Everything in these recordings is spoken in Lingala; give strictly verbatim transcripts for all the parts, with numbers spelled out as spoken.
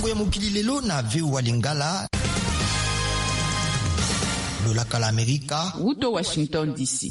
Sango ya mokili lelo na V O A Lingala, lolaka la Amerika. Wuto Washington D C.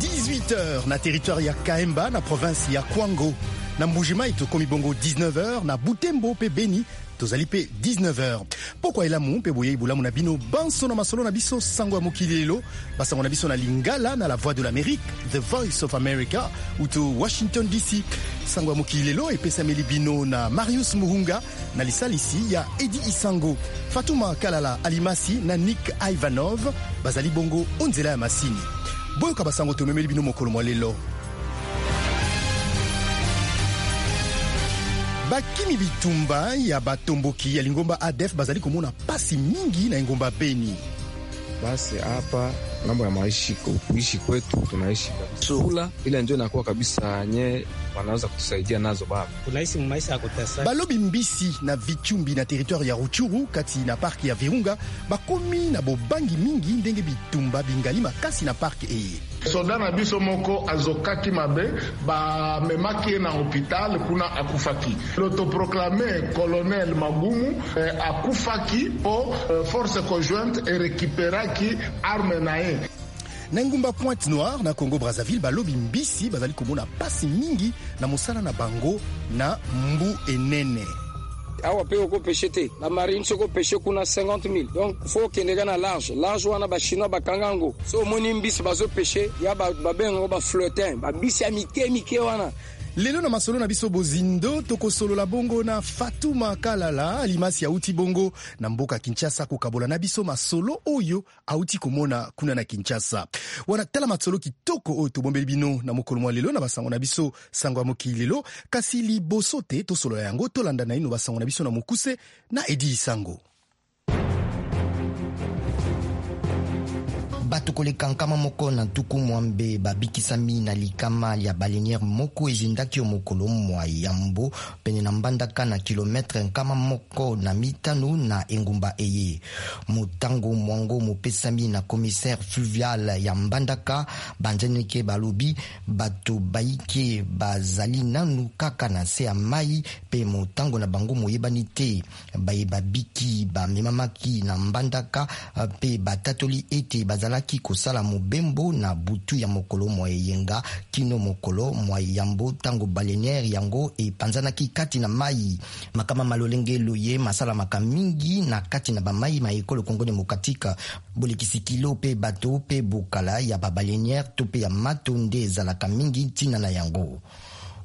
dix-huit heures na territoire ya Kahemba, na province ya Kwango. Na Mbujimai tokomi bongo dix-neuf heures, na Butembo mpe Beni tozali mpe dix-neuf heures. Pokwa elamu mpe boyei bolamu na bino banso na masolo na biso Sango ya mokili lelo, basango na biso na Lingala na la Voix de l'Amérique, The Voice of America, uto Washington D C. Sango ya mokili lelo epesameli bino na Marius Muhunga na lisalisi ya Edi Isango. Fatuma Kalala Alimasi na Nick Ivanov bazali bongo o nzela ya masini. Boyoka basango tomemeli bino mokolo mwa lelo. Bakimi bitumba ya batomboki ya lingomba A D F bazali komona pasi mingi na engumba Beni. Basi hapa ngambo ya maishi kuishi kwetu tunaishi kabisa kula ile ndio inakuwa kabisa nye wanaweza kutusaidia nazo baba. Tunaishi maisha ya kutesa. Balobi mbisi na Vichumbi na territoire ya Rutshuru kati na parc ya Virunga bakomi na bobangi mingi ndenge bitumba bingali makasi na parc eye. Soda na biso moko azokaki mabe, bamemaki ye na hôpital, kuna akufaki. L'autoproclamé colonel Magumu eh, akufaki mpo eh, force conjointe erécupéraki arme na ye. Na engumba Pointe Noire na Congo Brazzaville, balobi mbisi bazali komona pasi mingi na mosala na bango na mbu enene. Awa mpe okopêcher te, bamarine soki opêcher kuna cinquante mille. Donc faut okende ka na large large wana, bachinois bakanga yango. So omoni mbisi bazopêcher ya babengango baflottin, bambisi ya mike mike wana. Lelo na masolo na biso bozindo, tokosolola bongo na Fatuma Kalala Alimasi, auti bongo na mboka Kinshasa, kokabola na biso masolo oyo auti komona kuna na Kinshasa. Wana tala masolo kitoko oyo tobombeli bino na mokolo mwa lelo na basango na biso Sango ya mokili lelo. Kasi liboso te tosolola yango, tolanda naino basango na biso na mokuse na Edi Isango. Bato koleka nkama moko na ntuku mwambe babikisami na likama lya baleinière moko ezindaki yo mokolo mwa yambo pene na Mbandaka, na kilometre nkama moko na mitano na engumba eye. Motango mwango mopesami na commissaire fluvial ya Mbandaka. Banzeneke balobi bato bayike bazali nanu kaka na se ya mai mpe motango na bango moyebani te. Baye babiki bamemamaki na Mbandaka mpe batatoli ete bazalaki kosala mobembo na butu ya mokolo mwa eyenga kino mokolo mwa yambo, ntango baleinière yango epanzanaki kati na mai. Makama malolenge loye masalamaka mingi na kati na bamai ma ekolo Kongo Démocratique. Bolekisi kilo mpe bato mpe bokala ya babaleinière to mpe ya mato nde ezalaka mingi ntina na yango.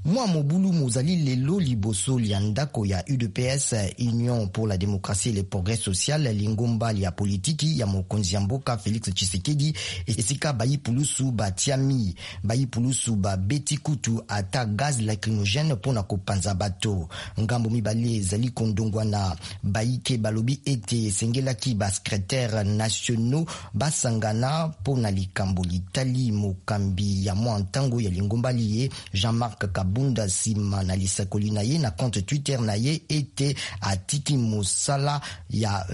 Mwa mobulu mozali lelo liboso lya ndako ya U D P S, Union pour la démocratie et le progrès social, lingomba lya politiki ya mokonzi ya mboka Félix Tshisekedi, esika bayi pulusu batiami. Bayi pulusu babeti kutu ata gaz lacrymogène mpona kopanza bato. Ngambo mibale ezali kondongwana. Bayike balobi ete esengelaki basecrétaire nationaux basangana mpona likambo litali mokambi ya mwa ntango ya lingomba liye, Jean-Marc Kabunda, nsima na lisakoli na ye na compte Twitter na ye ete atiki mosala ya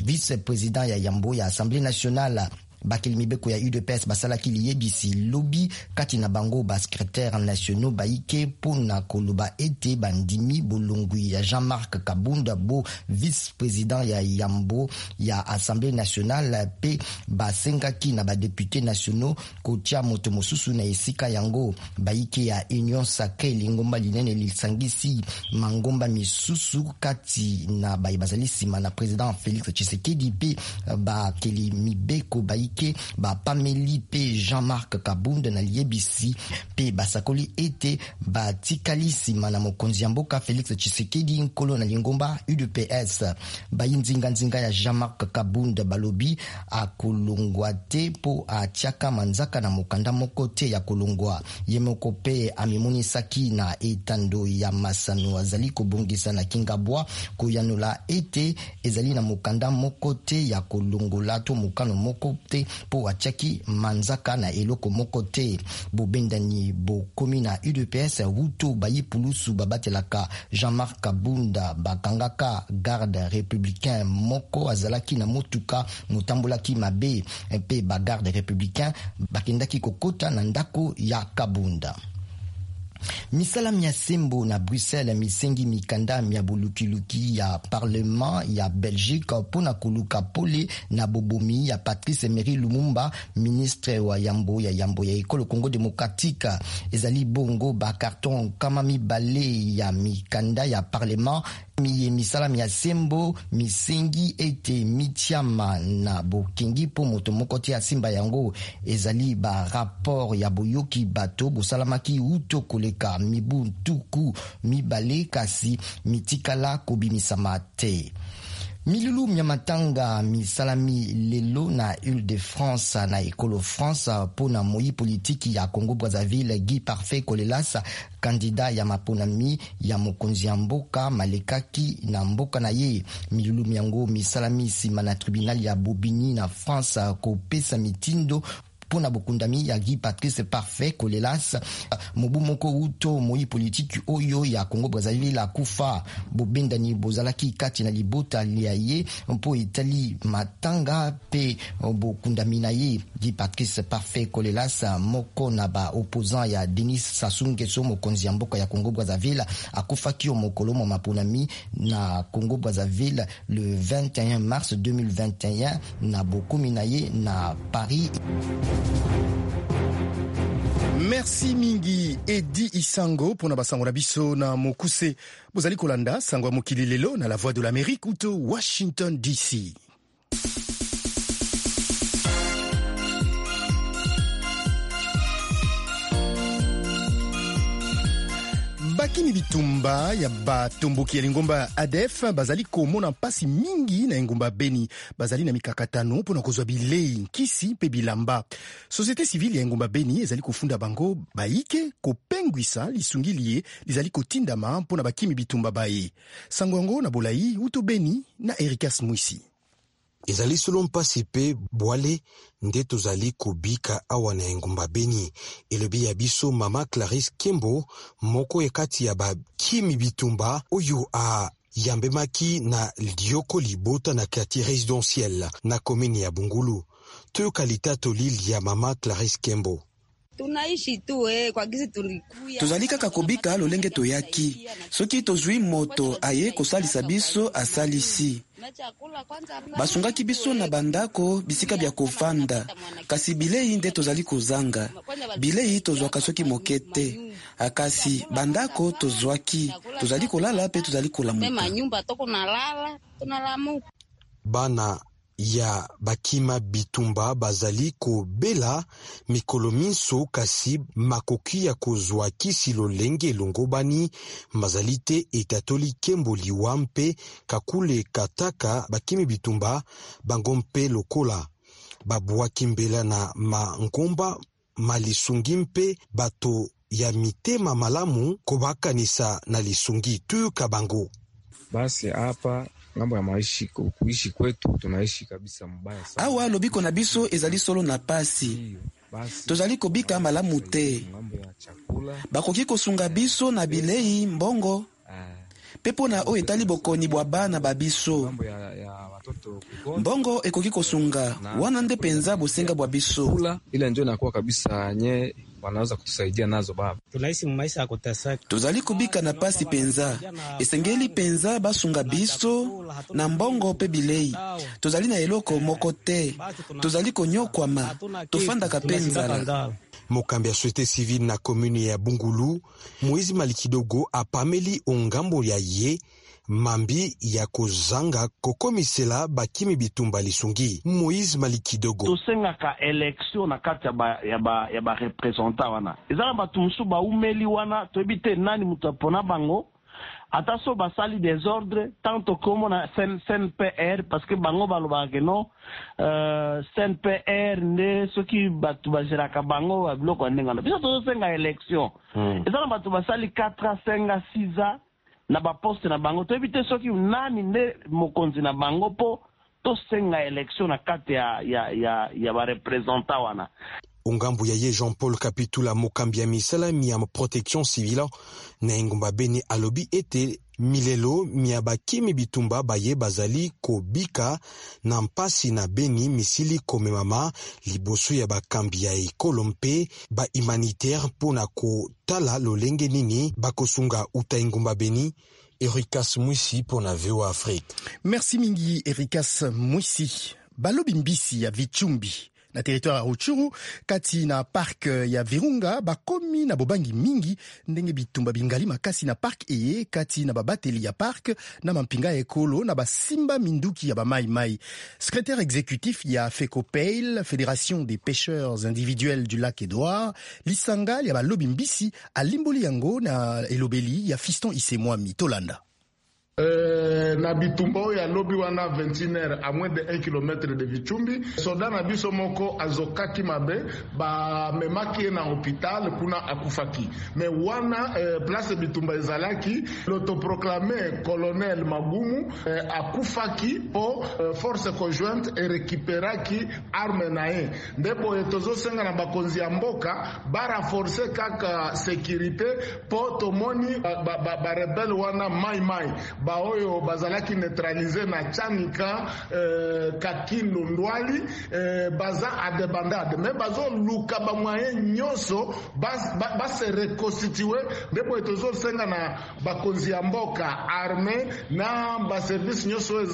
vice-président ya yambo ya Assemblée nationale. Bakeli mibeko ya U D P S basalaki liyebisi lobi, kati na bango basecrétaire nationaux bayike, mpona koloba ete bandimi bolongwi ya Jean-Marc Kabunda bo vice-président ya yambo ya Assemblée nationale, mpe basengaki na badéputés nationaux kotia moto mosusu na esika yango. Bayike ya Union sacrée, lingomba linene lisangisi mangomba misusu kati na baye bazali nsima na président Félix Tshisekedi, mpe bakeli mibeko bayike bapameli mpe Jean-Marc Kabund na liyebisi mpe basakoli ete batikali nsima na mokonzi ya mboka Félix Tshisekedi, nkolo na lingomba U D P S. Bayi nzinganzinga ya Jean-Marc Kabund balobi akolongwa te mpo atiaka manzaka na mokanda moko te ya kolongwa. Ye moko mpe amimonisaki na etando ya masano azali kobongisa na Kingabwa koyanola ete ezali na mokanda moko te ya kolongola to mokano moko te, mpo atiaki manzaka na eloko moko te. Bobendani bokomi na U D P S wuto bayi pulusu babatelaka Jean-Marc Kabunda bakangaka garde républicain moko azalaki na motuka motambolaki mabe, mpe bagarde républicain bakendaki kokota na ndako ya Kabunda. Misala mia sembo na Bruxelles misengi mikanda mia bolukiluki ya parlement ya Belgique mpona koluka pole na bobomi ya Patrice Emery Lumumba, ministre wa yambo ya yambo ya ekolo Congo démocratique. Ezali bongo ba carton kama mibale ya mikanda ya parlement miye misala mia sembo misengi ete mitiama na bokengi mpo moto moko te asimba yango. Ezali ba rapport ya boyoki bato bosalamaki uto koleka mibu ntuku mibale kasi mitikala kobimisama te. Milulu mia matanga misalami lelo na Île-de-France na ekolo France mpona moyi politiki ya Congo Brazzaville Guy Parfait Kolelas, candidat ya maponami ya mokonzi ya mboka malekaki na mboka na ye. Milulu miango misalami nsima na tribunal ya Bobigny na France kopesa mitindo mpona bokundami ya Guy Patrice Parfait Kolelas, mobu moko uto moyi politiki oyo ya Congo Brazzaville akufa. Bobendani bozalaki kati na libota ya ye mpo etali matanga pe bokundami na ye. Guy Patrice Parfait Kolelas, moko na ba opposant ya Denis Sassou Nguesso, mokonzi ya mboka ya Congo Brazzaville, akufaki yo mokolo mwa maponami na Congo Brazzaville le vingt et un mars deux mille vingt et un na bokomi na ye na Paris. Merci mingi Edi Isango mpona basango na biso na mokuse. Bozali kolanda sango ya mokili lelo na La Voix de l'Amérique uto Washington D C. Bakimi bitumba ya batomboki ya lingomba ya A D F bazali komona mpasi mingi na engumba Beni. Bazali na mikakatano mpona kozwa bilei, nkisi mpe bilamba. Société civile ya engumba Beni ezali kofunda bango bayike kopengwisa lisungi liye lizali kotindama mpona bakimi bitumba baye. Sango yango na bolai uto Beni na Erikas Mwisi. Ezali solo mpasi mpe bwale nde tozali kobika awa na engumba Beni, elobi ya biso mama Clarisse Kembo, moko ya kati ya bakimi bitumba oyo ayambemaki na lioko libota na quartier résidentiel na komini ya Bungulu. Toyoka litatoli ya mama Clarisse Kembo. Tunaishi tu eh, kwa gisi tulikuya. Tozali kaka kobika lolenge toyaki. Soki tozwi moto aye kosalisa biso, asalisi. Basungaki biso na bandako, bisika bya kofanda, kasi bilei nde tozali kozanga. Bilei tozwaka soki moke te, akasi bandako tozwaki, tozali kolala mpe tozali kolamuka. Manyumba toko nalala, tunalamuka. Bana ya bakima bitumba bazali kobela mikolo minso, kasi makoki ya kozwa kisi lolenge elongobani bazali te, etatoli Kembo. Liwa mpe kakule kataka bakimi bitumba bango mpe lokola babwaki mbela na mangomba malisungi mpe bato ya mitema malamu kobakanisa na lisungi. Tuyoka bango. Basi hapa ngambo ya maishi kuishi kwetu tunaishi kabisa mbaya sana. Awa lobiko na biso ezali solo na pasi, tozali kobika malamu te. Bakoki kosunga biso na bilei, mbongo mpe mpo na oyo etali bokoni bwa bana ba biso, mbongo ekoki kosunga. Wana nde mpenza bosenga bwa biso. Ile ndio inakuwa kabisa nye wanaweza kutusaidia nazo baba. Tunaishi maisha ya kuteseka. Tozali kobika na pasi mpenza. Esengeli mpenza basunga biso na mbongo mpe bilei. Tozali na eloko moko te, tozali konyokwama, tofandaka mpe nzala. Mokambi ya société civile na commune ya Bungulu, Moïse Malikidogo, apameli ongambo ya ye mambi ya kozanga kokomisela bakimi bitumba lisungi. Moïse Malikidogo. Tosengaka élection na kati ya ba, ya ba, ya bareprésentant wana. Eza na bato mosusu baumeli wana, toyebi te nani moto apona bango. Ata so basali désordre, tant tokomona C N P R, parce que bango balobaka ke non, euh, C N P R nde soki bato bagéraka bango babiloko ya ndenge wana. Biso tozosenga élection mm. Eza na bato basali quatre ans, cinq ans, six ans na baposte na bango, toyebi te soki nani nde mokonzi na bango, mpo tosenga élection na kati ya, ya, ya, ya bareprésentant wana. Ongambo ya ye Jean-Paul Kapitula, mokambi ya misala mia protection civile na engumba Beni, alobi ete milelo mia bakimi bitumba baye bazali kobika na mpasi na Beni misili komemama liboso ya bakambi ya ekolo mpe ba humanitaire mpo na kotala lolenge nini bakosunga. Uta engumba Beni, Erikas Mwisi mpo na V O A Afrique. Merci mingi, Erikas Mwisi. Balobi mbisi ya Vitshumbi na territoire ya Rutshuru kati na parc ya Virunga bakomi na bobangi mingi ndenge bitumba bingali makasi na parc eye kati na babateli ya parc na mampinga ya ekolo na basimba minduki ya bamaimai. Secrétaire exécutif ya FECOPEIL, Fédération des pêcheurs individuels du lac Edouard, lisanga ya balobi mbisi, alimboli yango na elobeli ya Fiston Isemwami. Tolanda. Euh, na bitumba oyo alobi wana vingt et une heures, à moins de un kilomètre de Vitshumbi, soda na biso moko azokaki mabe, bamemaki ye na hôpital, kuna akufaki. Mais wana euh, place bitumba ezalaki, l'autoproclamé colonel Magumu euh, akufaki mpo euh, force conjointe erécupéraki arme na ye. Nde boye tozosenga na bakonzi ya mboka barenforcer kaka sécurité, mpo tomoni barebelles ba, ba, wana mai mai baoyo bazalaki neutralisés na Chanika, eh, Kakindo, Ndwali, eh, baza en débandade, mais bazoluka bamoyens nyonso base ba, ba se reconstituer. Nde boye tozosenga na bakonzi ya mboka, armée na baservice nyonso oyo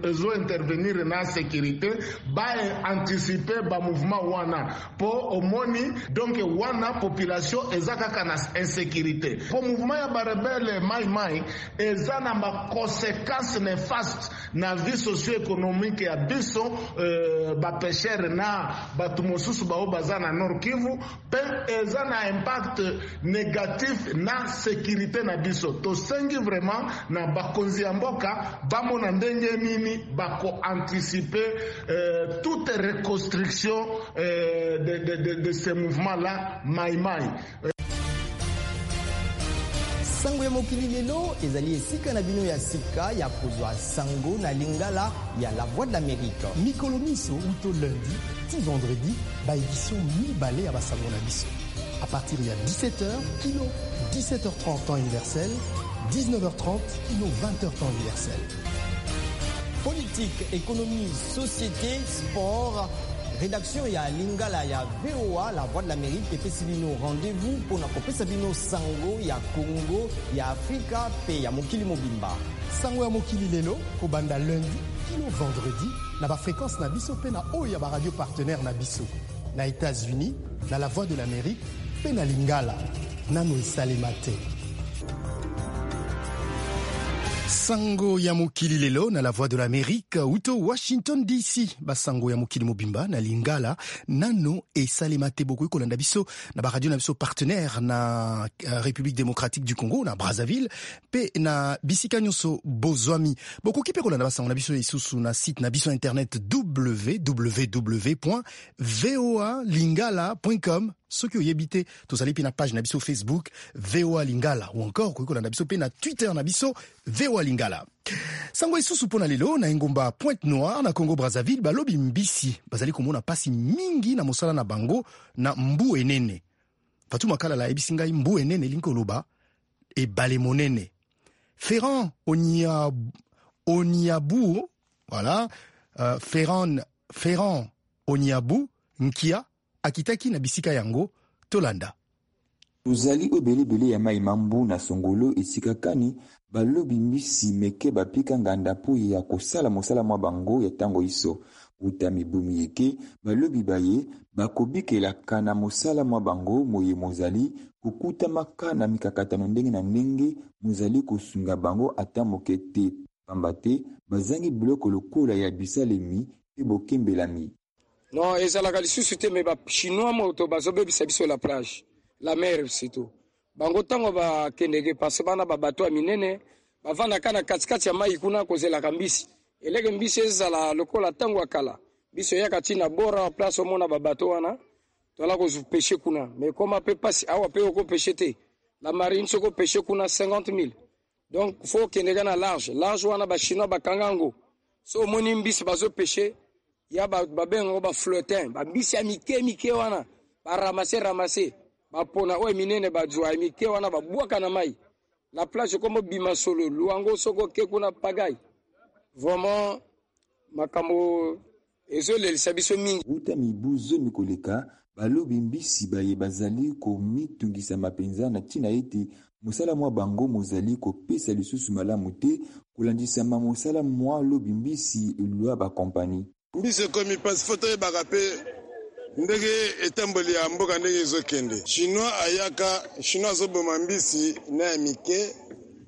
ezointervenir na sécurité, baanticiper bamouvement wana, mpo omoni donc wana population eza kaka na insécurité, mpo mouvement ya barebelles mai mai eza na baconséquence néfaste na vie socio-économique ya biso euh, bapêcheurs na bato mosusu bao baza na Nord Kivu, mpe eza na impact négatif na sécurité na biso. Tosengi vraiment na bakonzi ya mboka bamona ndenge nini bakoanticiper euh, toute reconstruction euh, de, de, de, de ce mouvement là mai mai. Sango ya Mokili Lelo ezali esika na bino ya sika ya kozwa sango na lingala ya La Voix de l'Amérique. Mikolo miso, uto lundi ti vendredi, baédition mibale ya basango na biso à partir ya dix-sept heures kino dix-sept heures trente temps universel, dix-neuf heures trente kino vingt heures temps universel. Politique, économie, société, sport, rédaction ya lingala ya V O A La Voix de l'Amérique epesi bino rendez-vous mpona kopesa bino sango ya Congo, ya Afrika mpe ya mokili mobimba. Sango ya Mokili Lelo, kobanda lundi kino vendredi, na bafréquence na biso mpe na oyo ya baradio partenaire na biso na États-Unis, na La Voix de l'Amérique mpe na lingala. Nano esalema te. Sango ya Mokili Lelo na La Voix de l'Amérique uto Washington D C. Basango ya mokili mobimba na lingala, nano esalema te. Bokoki kolanda biso na baradio na biso partenaire na uh, République démocratique du Congo, na Brazzaville mpe na bisika nyonso bozwami. Bokoki mpe kolanda basango na biso lisusu na site na biso internet W W W voa lingala com. Soki oyebi te, tozali mpe na page na biso Facebook V O A Lingala, ou encore okoki kolanda biso mpe na Twitter na biso V O A Lingala. Sango lisusu mpo na lelo, na engumba Pointe Noire na Congo Brazzaville, balobi mbisi bazali komona mpasi mingi na mosala na bango na mbu enene. Fatuma Kalala ayebisi ngai mbu enene elingi koloba ebale monene. Ferran Onia, Oniabu, voilà, uh, Ferran, Ferran Oniabu Nkia akitaki na bisika yango. Tolanda. Tozali ebele ya mai ma mbu na songolo, esika kani balobi mbisi meke bapika nganda mpo ya kosala mosala mwa bango ya ntango iso. Uta mibu miyeke, balobi baye bakobikelaka na mosala mwa bango moye mozali kokutamaka na mikakatano ndenge na ndenge mozali kosunga bango ata moke te, pamba te bazangi biloko lokola ya bisalemi mpe bokembelami. Non, ezalaka lisusu te, mais bachinois moto bazobebisa biso la plage, la mer surtout. Bango ntango bakendeke parce bana babato ya minene bavandaka na katikati ya mai kuna kozelaka mbisi. Eleke mbisi ezala lokola ntango ya kala, biso eyaka ntina bora place omona babato wana toala kopêcher kuna. Mais koma mpe pasi awa mpe okopêcher te. La marine soki opêcher kuna, cinquante mille. Donc faut okendeka na large. Large wana bachinois bakanga yango. So omoni mbisi bazopêcher ya babengango baflottin, bambisi ya mike mike wana. Baramase ramase, bapona oyo minene bazwa mike wana babwaka na mai. La plage komo bima solo, luango soko ke kuna pagai. Vraiment makambo ezolelisa biso mingi. Uta mibu zomi koleka, balobi mbisi baye bazali komitungisa mpenza na ntina ete mosala mwa bango mozali kopesa lisusu malamu te kolandisama mosala mwa lobi mbisi elwa bakompani. Mbisi ekomi mpasi fo toyebaka mpe ndenge etamboli ya mboka ndenge ezokende. Chinois ayaka, Chinois azoboma mbisi na ya mike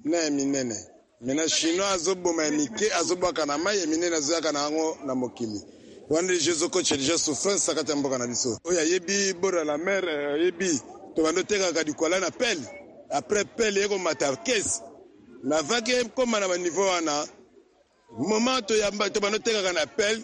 na ya minene. Mena Chinois azoboma ya mike azobwaka na mai, ya minene azoyaka na yango na mokili. Wana deja ezokotya deja souffrance kati ya mboka na biso. Oyo ayebi bord ya la mer, ayebi tobanda otekaka likwala na pele. Après pele ekomata kese. Mais avant ke ekoma na baniveau wana, moment toyamba tobanda otekaka na pele,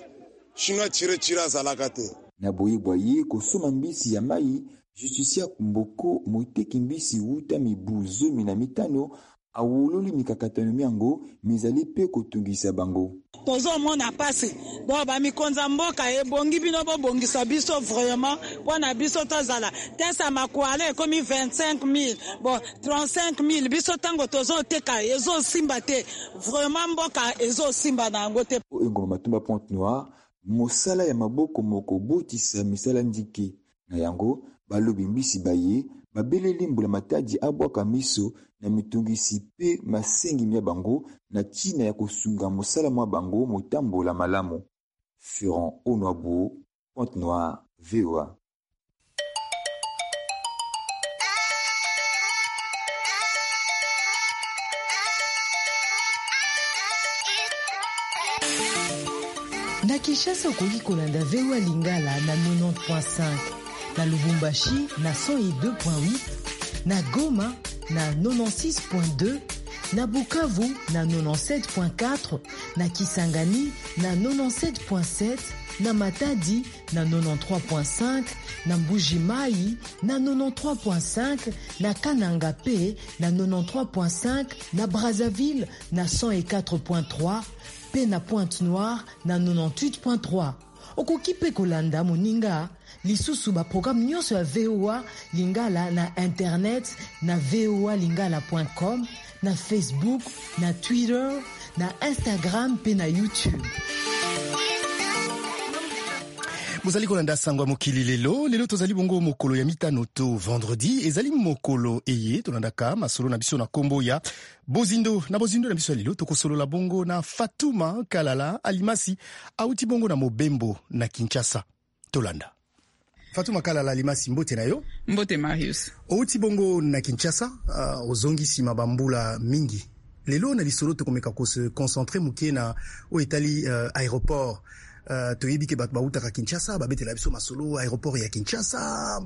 Chinois tire tire azalaka te. Na boyebwa ye kosoma mbisi ya mai, Justicia Mboko moteki mbisi wuta mibu zomi na mitano awololi mikakatano miango mizali mpe kotungisa bango. Tozomona pasi bo bamikonza mboka ebongi bino bobongisa biso vraiment mpona biso tozala tesa makwala ekomi vingt-cinq mille bon trente-cinq mille biso ntango tozoteka ezosimba te vraiment mboka ezosimba na yango te. Engoma Matumba Pointe Noire, mosala ya maboko moko botisa misala ndike na yango balobi mbisi baye babeleli mbula matadi abwaka miso na mitungisi pe masengi mya bango na ntina ya kosunga mosala mwa bango motambola malamu. Ferrand Onwabo, Pointe Noire, V O A. Na Kinshasa okoki kolanda V O A Lingala na quatre-vingt-dix point cinq, na Lubumbashi na cent deux point huit, na Goma na quatre-vingt-seize point deux, na Bukavu na quatre-vingt-dix-sept point quatre, na Kisangani na quatre-vingt-dix-sept point sept, na Matadi na quatre-vingt-treize point cinq, na Mbuji-Mayi na quatre-vingt-treize point cinq, na Kananga pe na quatre-vingt-treize point cinq, na Brazzaville na cent quatre point trois, pe na Pointe-Noire na quatre-vingt-dix-huit point trois. Okoki pe kolanda moninga lisusu ba programme nyonso ya V O A Lingala na internet na v o a lingala point com, na Facebook, na Twitter, na Instagram pe na YouTube. Bozali kolanda sango ya mokili lelo, lelo tozali bongo mokolo ya mitano to vendredi, ezali mokolo eye tolandaka masolo na biso na kombo ya Bozindo. Na Bozindo na biso ya lelo tokosolola bongo na Fatuma Kalala Alimasi auti bongo na Mobembo na Kinshasa. Tolanda. Fatuma Kalala Alimasi, mbote na yo. Mbote Marius. Outi bongo na Kinshasa, uh, ozongi sima bambula mingi. Lelo na lisolo tokomeka ko se concentrer moke na oyo etali uh, aéroport. Uh, toyebi ke bato bautaka Kinshasa babetela biso masolo aéroport ya Kinshasa,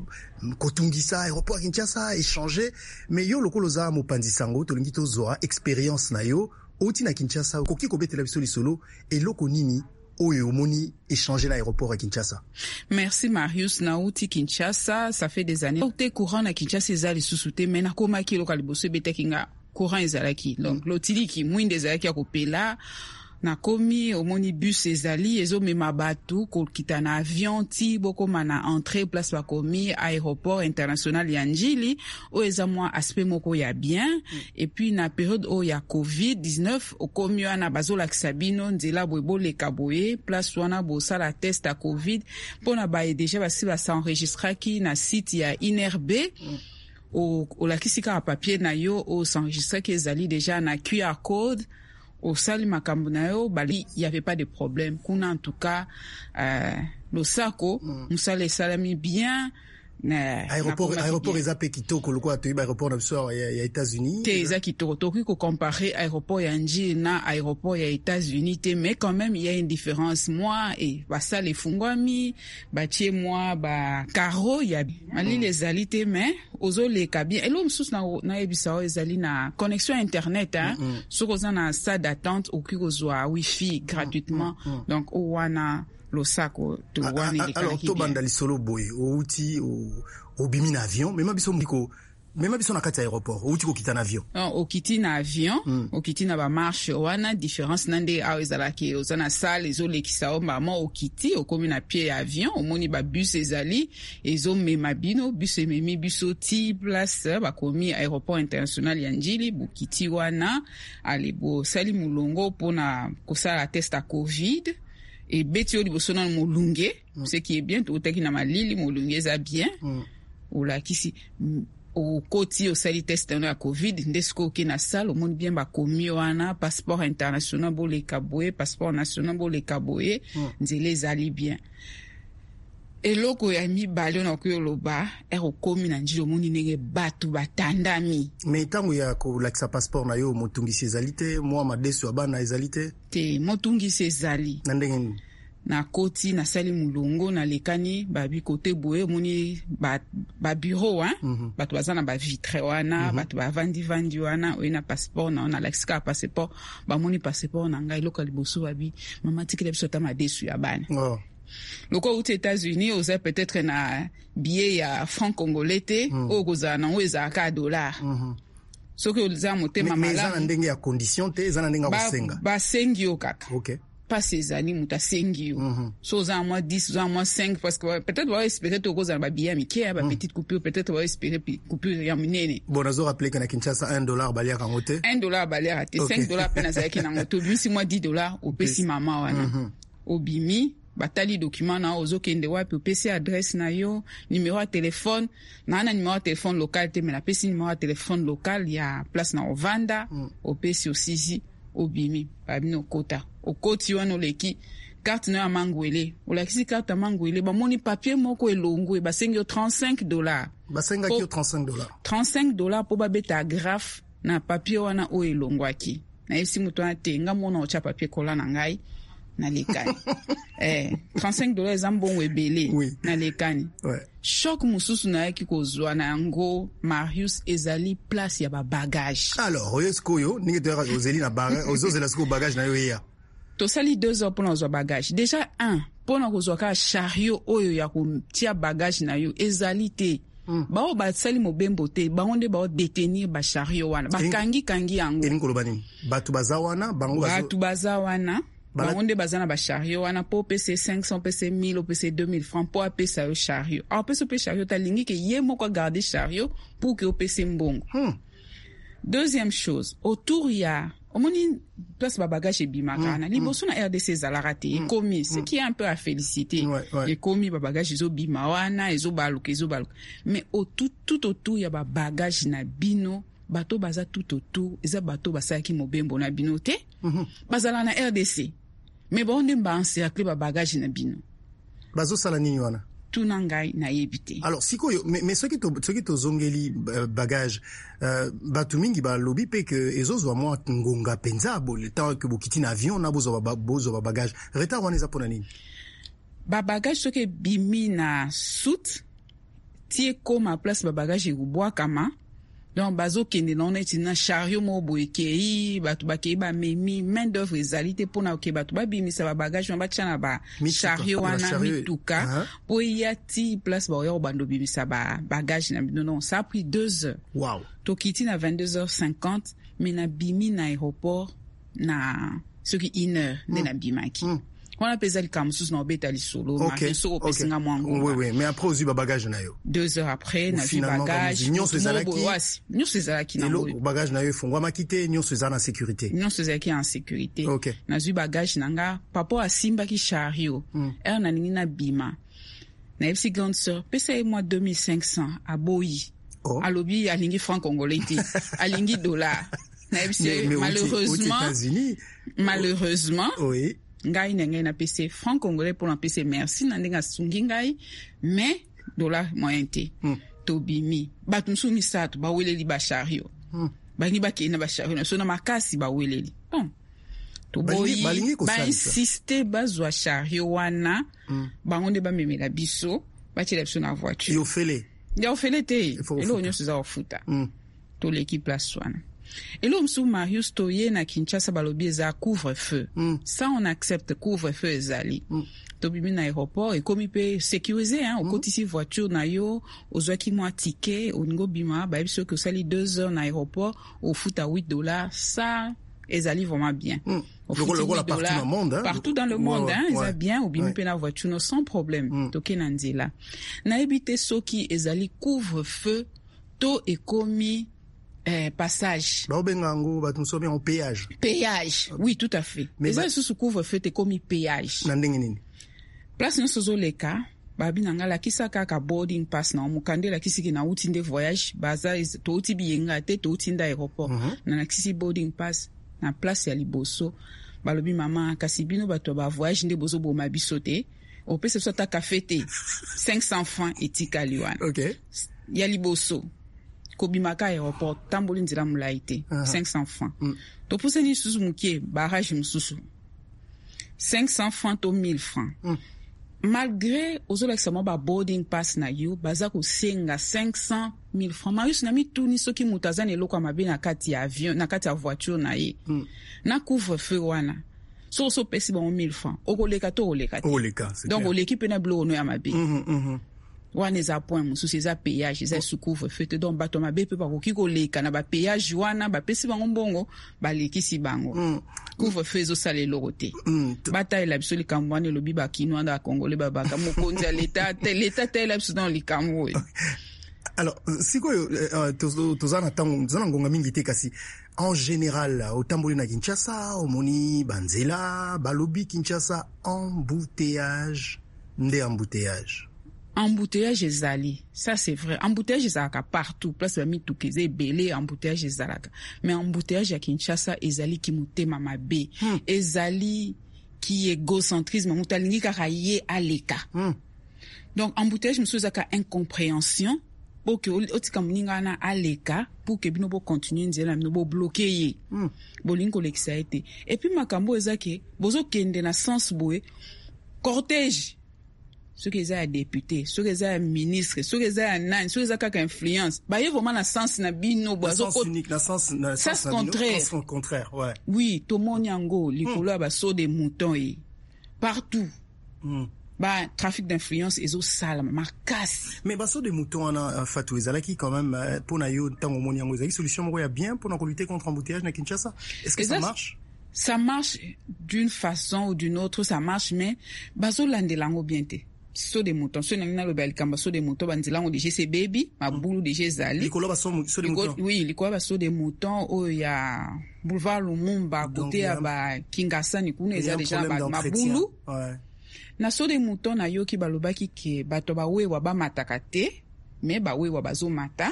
kotungisa aéroport ya Kinshasa, échanger. Mais yo lokolo oza mopanzi sango, tolingi tozwa expérience na yo outi na Kinshasa, okoki kobetela biso lisolo eloko nini oyo omoni échanger na aéroport ya Kinshasa? Merci Marius. Nauti Kinshasa, ça fait des années. Te courant na Kinshasa eza lisusu te, mais nakomaki eloko ya liboso ebetaki nga courant ezalaki. Donc lotiliki mwinda ezalaki ya kopela. Nakomi omoni bus ezali ezomema bato kokita na avion ti bokoma na entrée place bakomi aéroport international ya Njili, oyo eza mwa aspect moko ya bien. Mm. Et puis na période oyo ya covid dix-neuf okomi wana bazolakisa bino nzela boye boleka boye place wana bosala test ya covid mpona baye deja basi basenregistraki na site ya I N R B. Mm. Olakisi kaka papier na yo osenregistraki ezali deja na Q R code. Osali makambo na yo, bali il y avait pas de problème kuna. En tout cas euh, losako mosala esalami bien. Na aéroport aéroport eza pe kitoko lokola toyebi aéroport na biso ya, ya États-Unis te, eza kitoko. Tokoki kocompare aéroport ya Njili na aéroport ya États-Unis te, mais quand même il y a une différence. Moi e basala efungwami batie mwa bakaro ya malili ezali te, mais ozoleka bien. Eloko mosusu nayebisa oyo ezali na connexion internet, hein. Mm -hmm. Soki oza na salle d'attente okoki kozwa wifi gratuitement. Mm -hmm. Donc oyo wana losako to wana elekalaki. Alors tobanda lisolo boye, outi obimi na avion, mema biso moko Mema biso na kati ya aéroport, outi kokita na avion. Non, okiti na avion, mm. okiti na bamarche wana, différence na nde awa ezalaki oza na salle ezolekisa yo mbama, okiti, okomi na pied ya avion, omoni babus ezali ezomema bino, bus ememi biso ti place bakomi aéroport international ya Njili. Bokiti wana, ale bosali molongo mpona kosala test ya COVID. Ebeti yo liboso nano molunge, mm. ce qui est bien, toutaki na malili, molunge eza bien. mm. Olakisi, okoti, osali test wana ya COVID, nde sikoyo oke na salle, omoni bien bakomi wana passeport international boleka boye, passeport national boleka boye. mm. Nzela ezali bien. Eloko ya mibale oyo nakoki oloba, ere okomi na Njili, omoni ndenge bato batandami. Mais ntango ya kolakisa passeport na yo, motungisi ezali te? Mwa madeso ya bana ezali te? Te, motungisi ezali. Na ndenge nini? Nakoti, nasali molongo, nalekani babi kote boye, omoni babureau ba mm -hmm. bato baza na bavitre wana, mm -hmm. bato bavandi-vandi wana. Oye na passeport na yo, nalakisi kaka passeport, bamoni passeport na ngai, eloko ya liboso babi: "Mama, tikela biso ata madesu ya bana." oh. Lokola outi États-Unis, oza peut-être na billet ya franc congolais te, mm. oyo kozala nango ezalaka ya dollar. mm -hmm. Soki oza motema malamu, eza na ndenge ya condition te, eza na ndenge ya kosenga. Basengi yo kaka. okay. Mpasi ezali, moto asengi yo. mm -hmm. So oza na mwa dix, oza na mwa cinq, parce que peut-être baoespérer te okozala na babillet ya mike ya bapetite coupure, peut-être baoespérer coupure ya monene. Bon, nazo rappeler ke na Kinshasa, un dollar baliaka yango te. un dollar baliaka te. cinq dollar mpe nazalaki nango, tobimisi mwa dix dollar, opesi mama wana. mm -hmm. Obimi, batali document na yo, ozokende wapi, opesi adresse na yo, numéro ya telefone. Naa na numéro ya telefone local te, mais napesi numéro ya telefone local ya place na ovanda. mm. Opesi, osisi, obimi, babini okota. Okoti wana, oleki carte na yo ya mangwele, olakisi carte ya mangwele, bamoni papier moko elongwe, basengi yo trente-cinq dollar. Basengaki yo trente-cinq dollar? trente-cinq dollar mpo babeta agrafe na papier wana oyo elongwaki. Nayebisi moto wana te, nga mona otya papier kola na ngai, nalekani. eh, trente-cinq dollar eza mbongo ebele. oui. Nalekani. ouais. Choc mosusu nayaki kozwa na yango, Marius, ezali place ya babagage. Alors oyo sikoyo, ndenge toyaka, ozeli na ozozela sikoyo bagage na yo eya. Tosali deux heures mpona kozwa bagage. Déjà un, mpona kozwa kaka chariot oyo ya kotia bagage na yo ezali te. mm. Bao basali mobembo te, bango nde baodétenir bachariot wana, bakangi-kangi yango. Elingi koloba nini? Bato baza wana, bango? Bato baza wana, bango nde baza na bachariot wana mpo opesa cinq cents, opesa mille, opesa deux mille francs mpo apesa yo chariot. Apesa mpe chariot, alingi ke ye moko agarde chariot pour ke opesa mbongo. hmm. Deuxième chose, autour ya, omoni place babagage ebimaka wana, mm, liboso na R D C ezalaka te, ekomi, ce qui est un peu à féliciter. ouais, ouais. Ekomi, babagage ezobima wana, ezobaluka, ezobaluka, mais tout, tout autour ya babagage na bino, bato baza tout autour eza bato basalaki mobembo na bino te. mm -hmm. Bazala na R D C, mais bango nde baencercle babagage na bino. Bazosala nini wana? Tuna ngai, nayebi te. Alors sikoyo, mais, mais soki soki tozongeli uh, bagage, uh, bato mingi balobi mpe ke ezozwa mwa ngonga mpenza, le temps ke bokiti na avion na bozwa bozwa babagage, retard wana eza mpona nini? Babagage soki ebimi na soute ti ekóma place babagage ekobwakama, donc bazokende nango neti na chariot moko boye ekei, bato bakei, bamemi, main d'œuvre ezali te mpona ke bato babimisa babagage wana, batya na bachariot wana, mituka mpo eya ti place baoya kobanda obimisa bagage na bino. Donc ça a pris deux heures. wow. Tokiti na vingt-deux heures cinquante, mais nabimi na aéroport na soki une heure nde mm. nabimaki. mm. Wana mpe eza likambo mosusu na obeta lisolo. Okay. Soki opesinga mwa ngonga. Oui, oui. Mais après ozwi babagage na yo? Deux heures après nazwi bagage. Nyonso ezalaki? Nyonso ezalaki. Na bagage na yo efungwamaki te, nyonso eza na sécurité? Nyonso ezalaki en sécurité. okay. Nazwi bagage na nga, papa asimbaki chariot. mm. Heure nalingi nabima, nayebisi grande sœur: "Pesa ye mwa deux mille cinq cents." Aboyi. oh. Alobi alingi franc congolais te, alingi dollar. Nayebisi ye malheureusement, malheureusement, oui. ngai na ngai napesi franc congolais mpona apesi merci na ndenge asungi ngai, mais dollar moyen te. mm. Tobimi, bato mosusu misato baweleli bachariot. mm. Balingi bakende na bachariot na biso na makasi, baweleli. Bon, toboyi, bainsiste bazwa chariot wana. mm. Bango nde bamemela biso, batiela biso na voiture. Yofele? Ya ofele te, eloko nyonso eza kofuta. mm. Toleki place wana. Eloko mosusu, Marius, toye na Kinshasa, balobi eza couvre feu. mm. Ça, on accepte, couvre feu ezali. mm. Tobimi na aéroport, ekomi mpe sécurisé, hein. Okotisi voiture na yo, ozwaki mwa ticket, olingi obima, bayebi soki osali deux heures na aéroport, ofuta huit dollars. Ça ezali vraiment bien. Mm. Ofuti Lokola- lokola huit partout dollars. dans le monde, hein. Partout dans le monde, Ouais, hein, eza ouais. bien. Obimi Ouais. mpe na voiture no sans problème. Mm. Toke na nzela, nayebi te soki ezali couvre feu to ekomi eh, passage. Baobenga yango, bato mosusu babenga yango péage. Péage, oui, tout à fait. Mais Eza ba- lisusu couvre feu te, ekomi péage. Na ndenge nini? Place nyonso ozoleka, babi na nga lakisa kaka boarding pass na mokanda, elakisiki nauti nde voyage, baza touti biyenga te, touti nde aéroport. mm -hmm. Nalakisi boarding pass na place ya liboso, balobi: "Mama, kasi bino bato ya bavoyage nde bozoboma biso te, opesa biso ata kafe te." cinq cents francs etikali wana. okay. Ya liboso kobimaka aéroport, tamboli nzela molai te, uh -huh. cinq cents francs. mm. Topusani lisusu mokie, barrage mosusu, cinq cents francs to mille francs. mm. Malgré ozolakisa mwa ba boarding pass na yo, baza kosenga cinq cents mille francs. Marius, na mituni soki moto aza na eloko ya mabe na kati ya avion, na kati ya voiture na ye, mm. na couvre feu wana, soki oso opesi bango mille francs, okoleka to okoleka te? Donc oleki mpe na biloko no ya mabe. mm -hmm, mm -hmm. Wana eza point mosusu, eza péage, eza sous couvre feu te. Donc bato mabe mpe bakoki koleka na bapéage wana, bapesi bango mbongo, balekisi bango. mm. Couvre feu ezosala eloko te. mm. Batalela biso likambo wana. Elobi bakino wana, bakongole babaka mokonzi ya leta, leta talela biso na likambo oyo. Alors sikoyo, toza na ntango, toza na ngonga mingi te, kasi en général otamboli na Kinshasa, omoni banzela, balobi Kinshasa embouteillage nde embouteillage. Embouteillage ezali, ça c'est vrai. Embouteillage ezalaka partout, place bamituka eza ebele, embouteillage ezalaka. Mais embouteillage ya Kinshasa ezali ki motema mabe, hmm. ezali ki égocentrisme, moto alingi kaka ye aleka. hmm. Donc embouteillage mosusu ezalaka incompréhension, po ke otika moninga wana aleka pour ke bino bocontinue nzela na bino, bobloquer ye, hmm. bolingi kolekisa ye te. Et puis makambo eza ke bozokende na sens boye, cortège, soki eza ya député, soki eza ya ministre, soki eza ya nani, soki eza kaka influence, baye vraiment na sens na bino. Sens contraire. Contraire, ouais. Oui, tomoni yango likolo ya basaut de mouton ye partout. mm. Ba trafic d'influence ezosalama makasi. Mais basaut de mouton wana, Fatou, ezalaki quand même mpona yo, ntango omoni yango, ezalaki solution moko ya bien mpona kolutter contre embouteillage na Kinshasa? Est-ce que ça marche? Ça marche d'une façon ou d'une autre, ça marche, mais bazolandela yango bien te. Saut de mouton, so nangi naloba likambo saut de mouton, banzela yango déjà ebebi, mabulu déjà ezali. Likolo basaut de mouton? Oui, likolo basaut de mouton oyo ya boulevard Lumumba, côté ya bakingasani kuna, eza déjà mabulu. ouais. Na saut de mouton, nayoki balobaki ke bato bawewa bamataka te, mais bawewa bazomata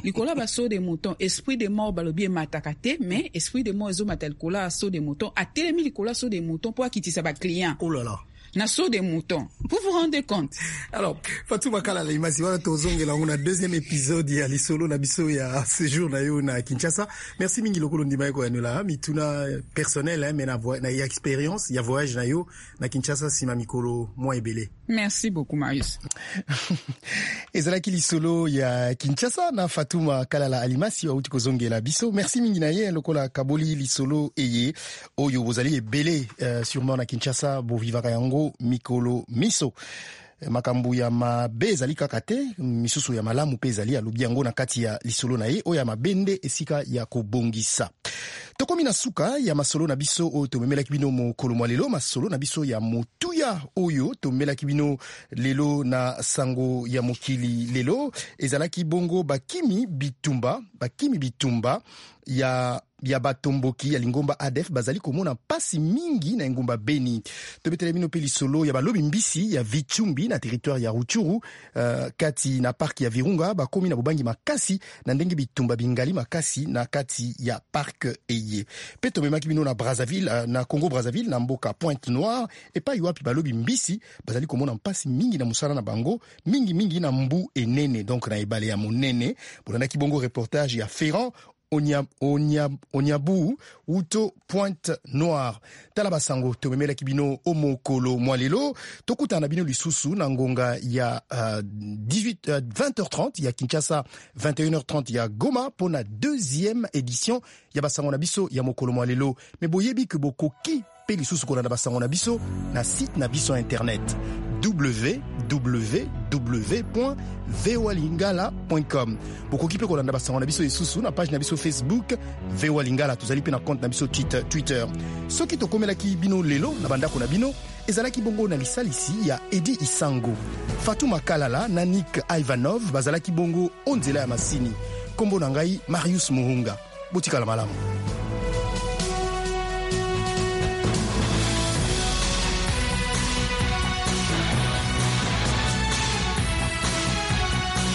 likolo ya basaut de mouton. Esprit de mort, balobi emataka te, mais esprit de mort ezomata likolo ya saut de mouton, atelemi likolo ya saut de mouton mpo akitisa baclient. Oh là là. Na saut de mouton, vous vous rendez compte? Alors Fatou Makala Limasi, wana tozongela yango na deuxième épisode ya lisolo na biso ya séjour na yo na Kinshasa. Merci mingi lokolo ndima ye koyanola mituna personnel, hein, mais na, na ya expérience ya voyage na yo na Kinshasa nsima mikolo mwa ebele. Merci beaucoup, Marius. Ezalaki lisolo ya Kinshasa na Fatuma Kalala Alimasi, auti kozongela biso. Merci mingi na ye lokola kaboli lisolo eye oyo bozali ebele, uh, sûrement na Kinshasa bovivaka yango mikolo miso. Makambo ya mabe ezali kaka te, misusu ya malamu mpe ezali. Alobi yango na kati ya lisolo na ye. Oyo ya mabe nde esika ya kobongisa. Tokomi na suka ya masolo na biso oyo tomemelaki bino mokolo mwa lelo. Masolo na biso ya motuya oyo tomemelaki bino lelo na sango ya mokili lelo ezalaki bongo bakimi bitumba, bakimi bitumba ya ya batomboki ya lingomba A D F bazali komona mpasi mingi na engumba Beni. Tobetela bino mpe lisolo ya balobi mbisi ya Vitshumbi na territoire ya Rutshuru, uh, kati na parc ya Virunga, bakomi na bobangi makasi na ndenge bitumba bingali makasi na kati ya parc eye. Mpe tomemaki bino na Brazzaville, uh, na Congo Brazzaville, na mboka Pointe Noire, epai wapi balobi mbisi bazali komona mpasi mingi na mosala na bango, mingimingi na mbu enene, donc na ebale ya monene. Bolandaki bongo reportage ya Ferrand Onya, Onya, Onyabu uto Pointe Noire. Tala basango tomemelaki bino o mokolo mwa lelo. Tokutana na bino lisusu na ngonga ya uh, dix-huit, uh, vingt heures trente ya Kinshasa, vingt et une heures trente ya Goma, mpona deuxième édition ya basango na biso ya mokolo mwa lelo. Me boyebi ke bokoki Mpe lisusu kolanda basango na biso na site na biso ya internet w w w voalingala com. Bokoki mpe kolanda basango na biso lisusu na page na biso Facebook V O A Lingala. Tozali mpe na compte na biso Twitter. Soki tokomelaki bino lelo na bandako na bino, ezalaki bongo na lisalisi ya Edi Isango, Fatuma Kalala na Nick Ivanov bazalaki bongo o nzela ya masini. Nkombo na ngai Marius Muhunga. Botikala malamu.